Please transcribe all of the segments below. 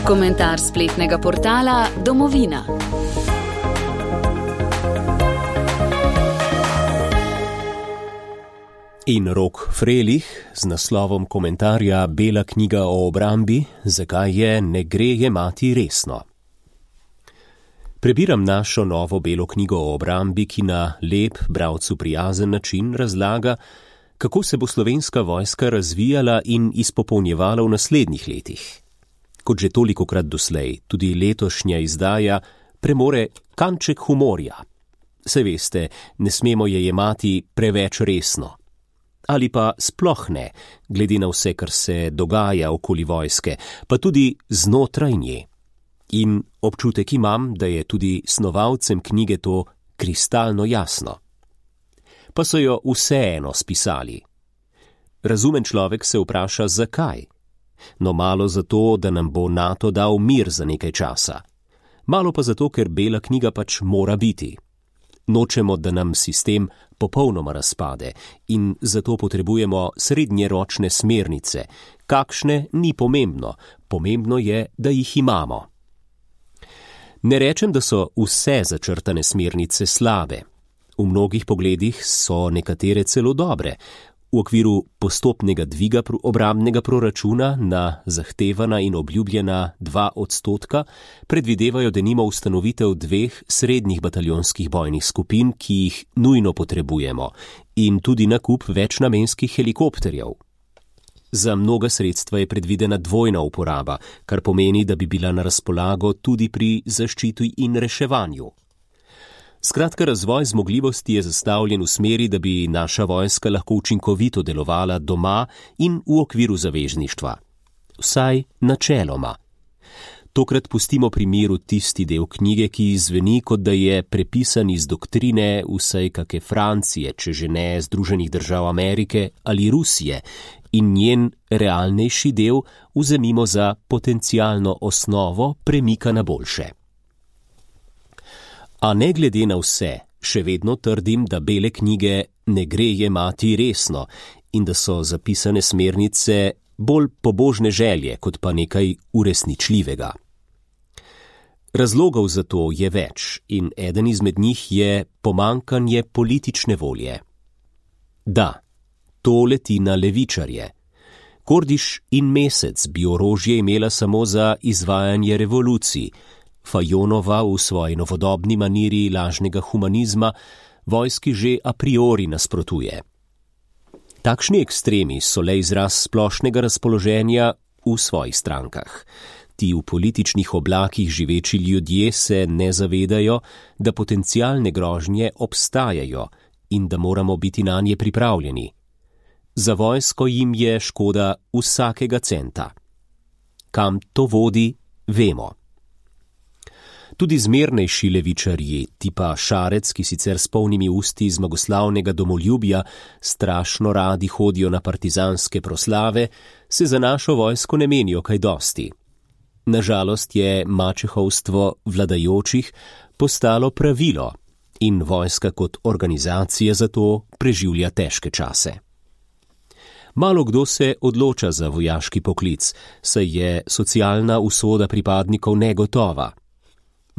Komentar spletnega portala Domovina. In Rok Frelih z naslovom komentarja Bela knjiga o obrambi, zakaj je ne gre jemati resno. Prebiram našo novo belo knjigo o obrambi, ki na lep, bralcu prijazen način razlaga, kako se bo slovenska vojska razvijala in izpopolnjevala v naslednjih letih. Kot že tolikokrat doslej, tudi letošnja izdaja premore kanček humorja. Saj veste, ne smemo je jemati preveč resno. Ali pa sploh ne, glede na vse, kar se dogaja okoli vojske, pa tudi znotraj nje. In občutek imam, da je tudi snovalcem knjige to kristalno jasno. Pa so jo vseeno spisali. Razumen človek se vpraša, zakaj? No, malo zato, da nam bo NATO dal mir za nekaj časa. Malo pa zato, ker bela knjiga pač mora biti. Nočemo, da nam sistem popolnoma razpade in zato potrebujemo srednjeročne smernice. Kakšne ni pomembno, pomembno je, da jih imamo. Ne rečem, da so vse začrtane smernice slabe. V mnogih pogledih so nekatere celo dobre. V okviru postopnega dviga obrambnega proračuna na zahtevana in obljubljena 2% predvidevajo denimo ustanovitev 2 srednjih bataljonskih bojnih skupin, ki jih nujno potrebujemo, in tudi nakup večnamenskih helikopterjev. Za mnoga sredstva je predvidena dvojna uporaba, kar pomeni, da bi bila na razpolago tudi pri zaščiti in reševanju. Skratka, razvoj zmogljivosti je zastavljen v smeri, da bi naša vojska lahko učinkovito delovala doma in v okviru zavezništva. Vsaj načeloma. Tokrat pustimo pri miru tisti del knjige, ki zveni, kot da je prepisan iz doktrine vsaj kake Francije, če že ne Združenih držav Amerike ali Rusije, in njen realnejši del vzemimo za potencialno osnovo premika na boljše. A ne glede na vse, še vedno trdim, da bele knjige ne gre jemati resno in da so zapisane smernice bolj pobožne želje, kot pa nekaj uresničljivega. Razlogov za to je več in eden izmed njih je pomanjkanje politične volje. Da, to leti na levičarje. Kordiš in Mesec bi orožje imela samo za izvajanje revolucij, Fajonova v svoji novodobni maniri lažnega humanizma vojski že a priori nasprotuje. Takšni ekstremi so le izraz splošnega razpoloženja v svojih strankah. Ti v političnih oblakih živeči ljudje se ne zavedajo, da potencialne grožnje obstajajo in da moramo biti nanje pripravljeni. Za vojsko jim je škoda vsakega centa. Kam to vodi, vemo. Tudi zmernejši levičarji, tipa Šarec, ki sicer s polnimi usti zmagoslavnega domoljubja strašno radi hodijo na partizanske proslave, se za našo vojsko ne menijo kaj dosti. Nažalost je mačehovstvo vladajočih postalo pravilo in vojska kot organizacija zato preživlja težke čase. Malo kdo se odloča za vojaški poklic, saj je socialna usoda pripadnikov negotova.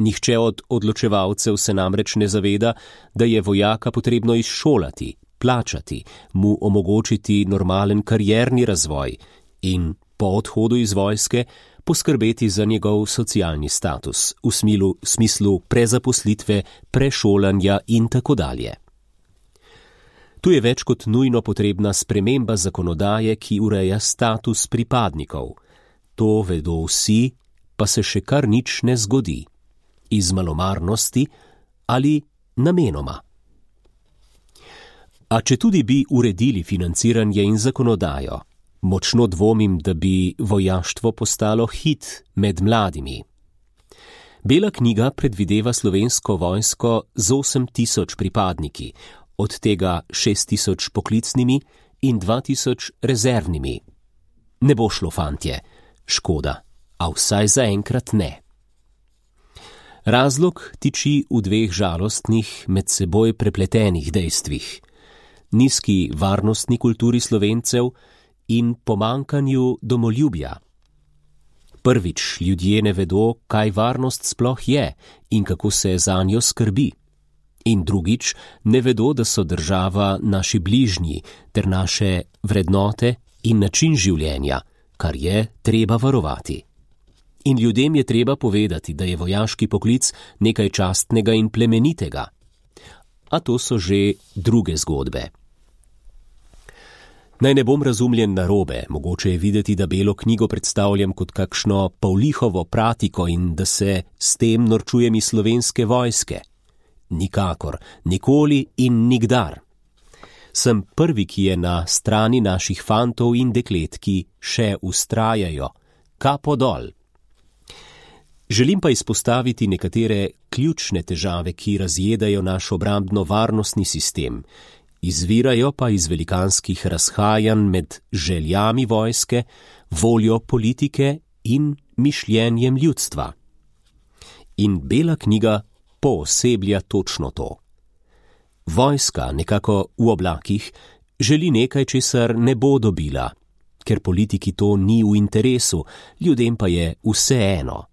Nihče od odločevalcev se namreč ne zaveda, da je vojaka potrebno izšolati, plačati, mu omogočiti normalen karierni razvoj in po odhodu iz vojske poskrbeti za njegov socialni status v smislu prezaposlitve, prešolanja in tako dalje. Tu je več kot nujno potrebna sprememba zakonodaje, ki ureja status pripadnikov. To vedo vsi, pa se še kar nič ne zgodi. Iz malomarnosti ali namenoma. A če tudi bi uredili financiranje in zakonodajo, močno dvomim, da bi vojaštvo postalo hit med mladimi. Bela knjiga predvideva slovensko vojsko z 8.000 pripadniki, od tega 6.000 poklicnimi in 2.000 rezervnimi. Ne bo šlo, fantje, škoda, a vsaj zaenkrat ne. Razlog tiči v 2 žalostnih, med seboj prepletenih dejstvih. Nizki varnostni kulturi Slovencev in pomanjkanju domoljubja. Prvič, ljudje ne vedo, kaj varnost sploh je in kako se za njo skrbi. In drugič, ne vedo, da so država naši bližnji ter naše vrednote in način življenja, kar je treba varovati. In ljudem je treba povedati, da je vojaški poklic nekaj častnega in plemenitega. A to so že druge zgodbe. Naj ne bom razumljen narobe, mogoče je videti, da Belo knjigo predstavljam kot kakšno Pavlihovo pratiko in da se s tem norčujem iz Slovenske vojske. Nikakor, nikoli in nikdar. Sem prvi, ki je na strani naših fantov in deklet, ki še vztrajajo, kapo dol. Želim pa izpostaviti nekatere ključne težave, ki razjedajo naš obrambno-varnostni sistem, izvirajo pa iz velikanskih razhajanj med željami vojske, voljo politike in mišljenjem ljudstva. In Bela knjiga pooseblja točno to. Vojska, nekako v oblakih, želi nekaj, česar ne bo dobila, ker politiki to ni v interesu, ljudem pa je vseeno.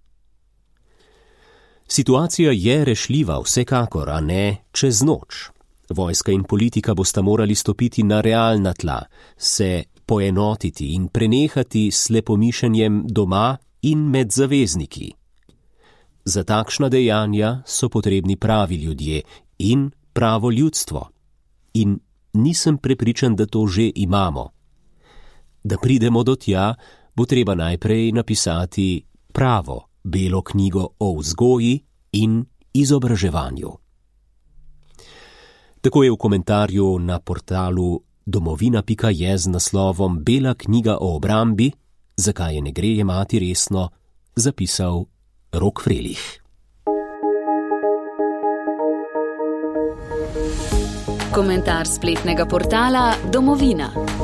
Situacija je rešljiva vsekakor, a ne čez noč. Vojska in politika bosta morali stopiti na realna tla, se poenotiti in prenehati s slepomišenjem doma in med zavezniki. Za takšna dejanja so potrebni pravi ljudje in pravo ljudstvo. In nisem prepričan, da to že imamo. Da pridemo do tja, bo treba najprej napisati pravo Belo knjigo o vzgoji in izobraževanju. Tako je v komentarju na portalu domovina.je z naslovom Bela knjiga o obrambi, zakaj je ne gre jemati resno, zapisal Rok Frelih. Komentar spletnega portala Domovina.